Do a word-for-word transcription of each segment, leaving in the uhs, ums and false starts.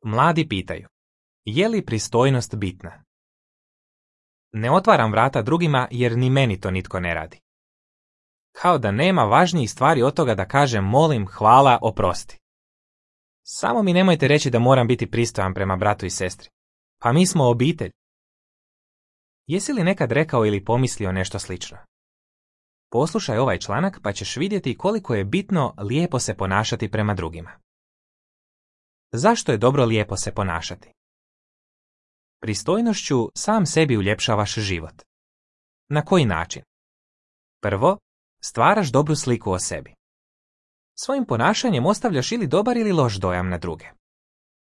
Mladi pitaju, je li pristojnost bitna? Ne otvaram vrata drugima jer ni meni to nitko ne radi. Kao da nema važnijih stvari od toga da kažem molim, hvala, oprosti. Samo mi nemojte reći da moram biti pristojan prema bratu i sestri. Pa mi smo obitelj. Jesi li nekad rekao ili pomislio nešto slično? Poslušaj ovaj članak pa ćeš vidjeti koliko je bitno lijepo se ponašati prema drugima. Zašto je dobro lijepo se ponašati? Pristojnošću sam sebi uljepšavaš život. Na koji način? Prvo, stvaraš dobru sliku o sebi. Svojim ponašanjem ostavljaš ili dobar ili loš dojam na druge.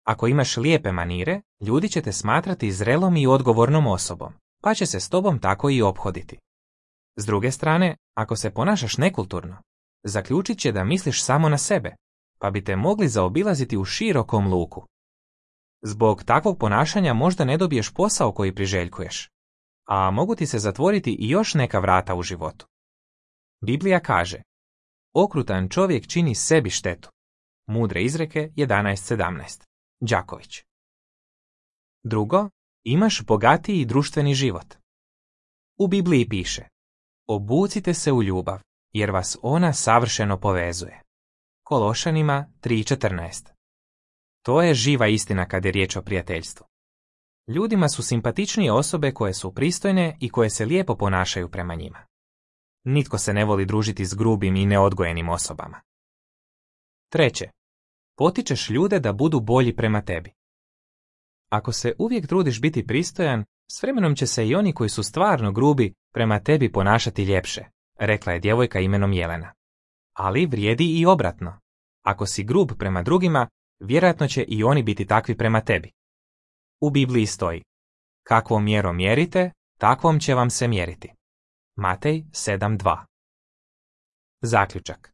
Ako imaš lijepe manire, ljudi će te smatrati zrelom i odgovornom osobom, pa će se s tobom tako i ophoditi. S druge strane, ako se ponašaš nekulturno, zaključit će da misliš samo na sebe, pa bi te mogli zaobilaziti u širokom luku. Zbog takvog ponašanja možda ne dobiješ posao koji priželjkuješ, a mogu ti se zatvoriti i još neka vrata u životu. Biblija kaže, okrutan čovjek čini sebi štetu. Mudre izreke jedanaest sedamnaest. Đaković. Drugo, imaš bogatiji društveni život. U Bibliji piše, obucite se u ljubav, jer vas ona savršeno povezuje. Kološanima tri četrnaest. To je živa istina kad je riječ o prijateljstvu. Ljudima su simpatičnije osobe koje su pristojne i koje se lijepo ponašaju prema njima. Nitko se ne voli družiti s grubim i neodgojenim osobama. Treće, potičeš ljude da budu bolji prema tebi. Ako se uvijek trudiš biti pristojan, s vremenom će se i oni koji su stvarno grubi prema tebi ponašati ljepše, rekla je djevojka imenom Jelena. Ali vrijedi i obratno. Ako si grub prema drugima, vjerojatno će i oni biti takvi prema tebi. U Bibliji stoji, kakvom mjerom mjerite, takvom će vam se mjeriti. Matej sedam dva. Zaključak.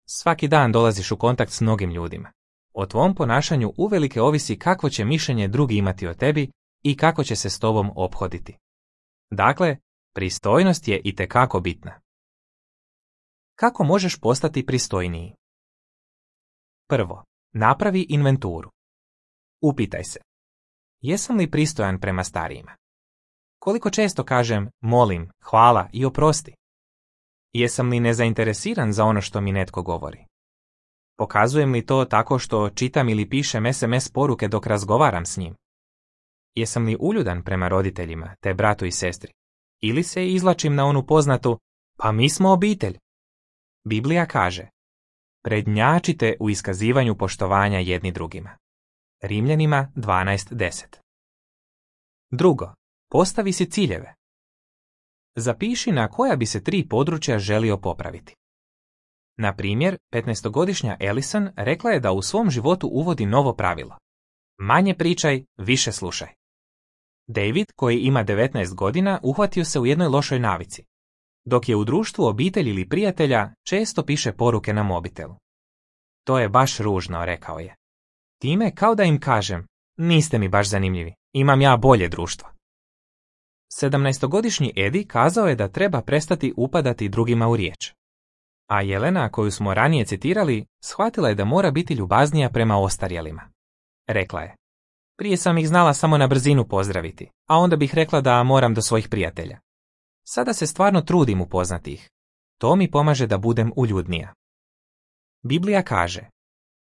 Svaki dan dolaziš u kontakt s mnogim ljudima. O tvom ponašanju uvelike ovisi kakvo će mišljenje drugi imati o tebi i kako će se s tobom ophoditi. Dakle, pristojnost je itekako bitna. Kako možeš postati pristojniji? Prvo, napravi inventuru. Upitaj se, jesam li pristojan prema starijima? Koliko često kažem molim, hvala i oprosti? Jesam li nezainteresiran za ono što mi netko govori? Pokazujem li to tako što čitam ili pišem es em es poruke dok razgovaram s njim? Jesam li uljudan prema roditeljima, te bratu i sestri? Ili se izvlačim na onu poznatu, pa mi smo obitelj? Biblija kaže, prednjačite u iskazivanju poštovanja jedni drugima. Rimljanima dvanaest deset. Drugo, postavi si ciljeve. Zapiši na koja bi se tri područja želio popraviti. Na primjer, petnaestogodišnja Ellison rekla je da u svom životu uvodi novo pravilo. Manje pričaj, više slušaj. David, koji ima devetnaest godina, uhvatio se u jednoj lošoj navici. Dok je u društvu obitelji ili prijatelja, često piše poruke na mobitelu. To je baš ružno, rekao je. Time kao da im kažem, niste mi baš zanimljivi, imam ja bolje društvo. Sedamnaestogodišnji Edi kazao je da treba prestati upadati drugima u riječ. A Jelena, koju smo ranije citirali, shvatila je da mora biti ljubaznija prema ostarjelima. Rekla je, prije sam ih znala samo na brzinu pozdraviti, a onda bih rekla da moram do svojih prijatelja. Sada se stvarno trudim upoznati ih. To mi pomaže da budem uljudnija. Biblija kaže,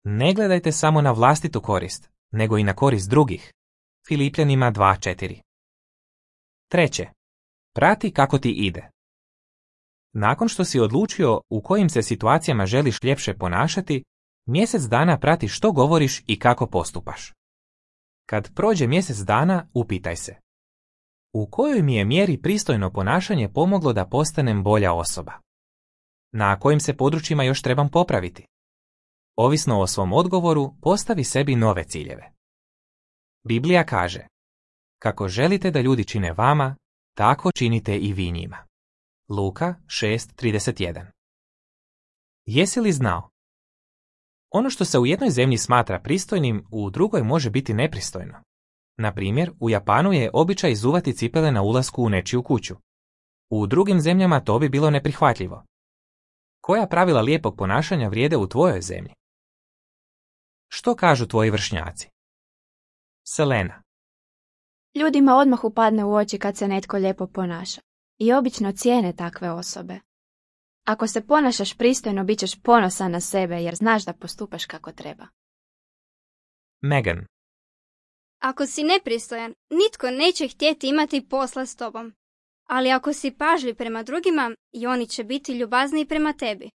ne gledajte samo na vlastitu korist, nego i na korist drugih. Filipljanima dva četiri. Treće, prati kako ti ide. Nakon što si odlučio u kojim se situacijama želiš ljepše ponašati, mjesec dana prati što govoriš i kako postupaš. Kad prođe mjesec dana, upitaj se, u kojoj mi je mjeri pristojno ponašanje pomoglo da postanem bolja osoba? Na kojim se područjima još trebam popraviti? Ovisno o svom odgovoru, postavi sebi nove ciljeve. Biblija kaže, kako želite da ljudi čine vama, tako činite i vi njima. Luka šest trideset jedan. Jesi li znao? Ono što se u jednoj zemlji smatra pristojnim, u drugoj može biti nepristojno. Na primjer, u Japanu je običaj izuvati cipele na ulasku u nečiju kuću. U drugim zemljama to bi bilo neprihvatljivo. Koja pravila lijepog ponašanja vrijede u tvojoj zemlji? Što kažu tvoji vršnjaci? Selena. Ljudima odmah upadne u oči kad se netko lijepo ponaša i obično cijene takve osobe. Ako se ponašaš pristojno, bit ćeš ponosan na sebe jer znaš da postupaš kako treba. Megan. Ako si nepristojan, nitko neće htjeti imati posla s tobom. Ali ako si pažljiv prema drugima, i oni će biti ljubazniji prema tebi.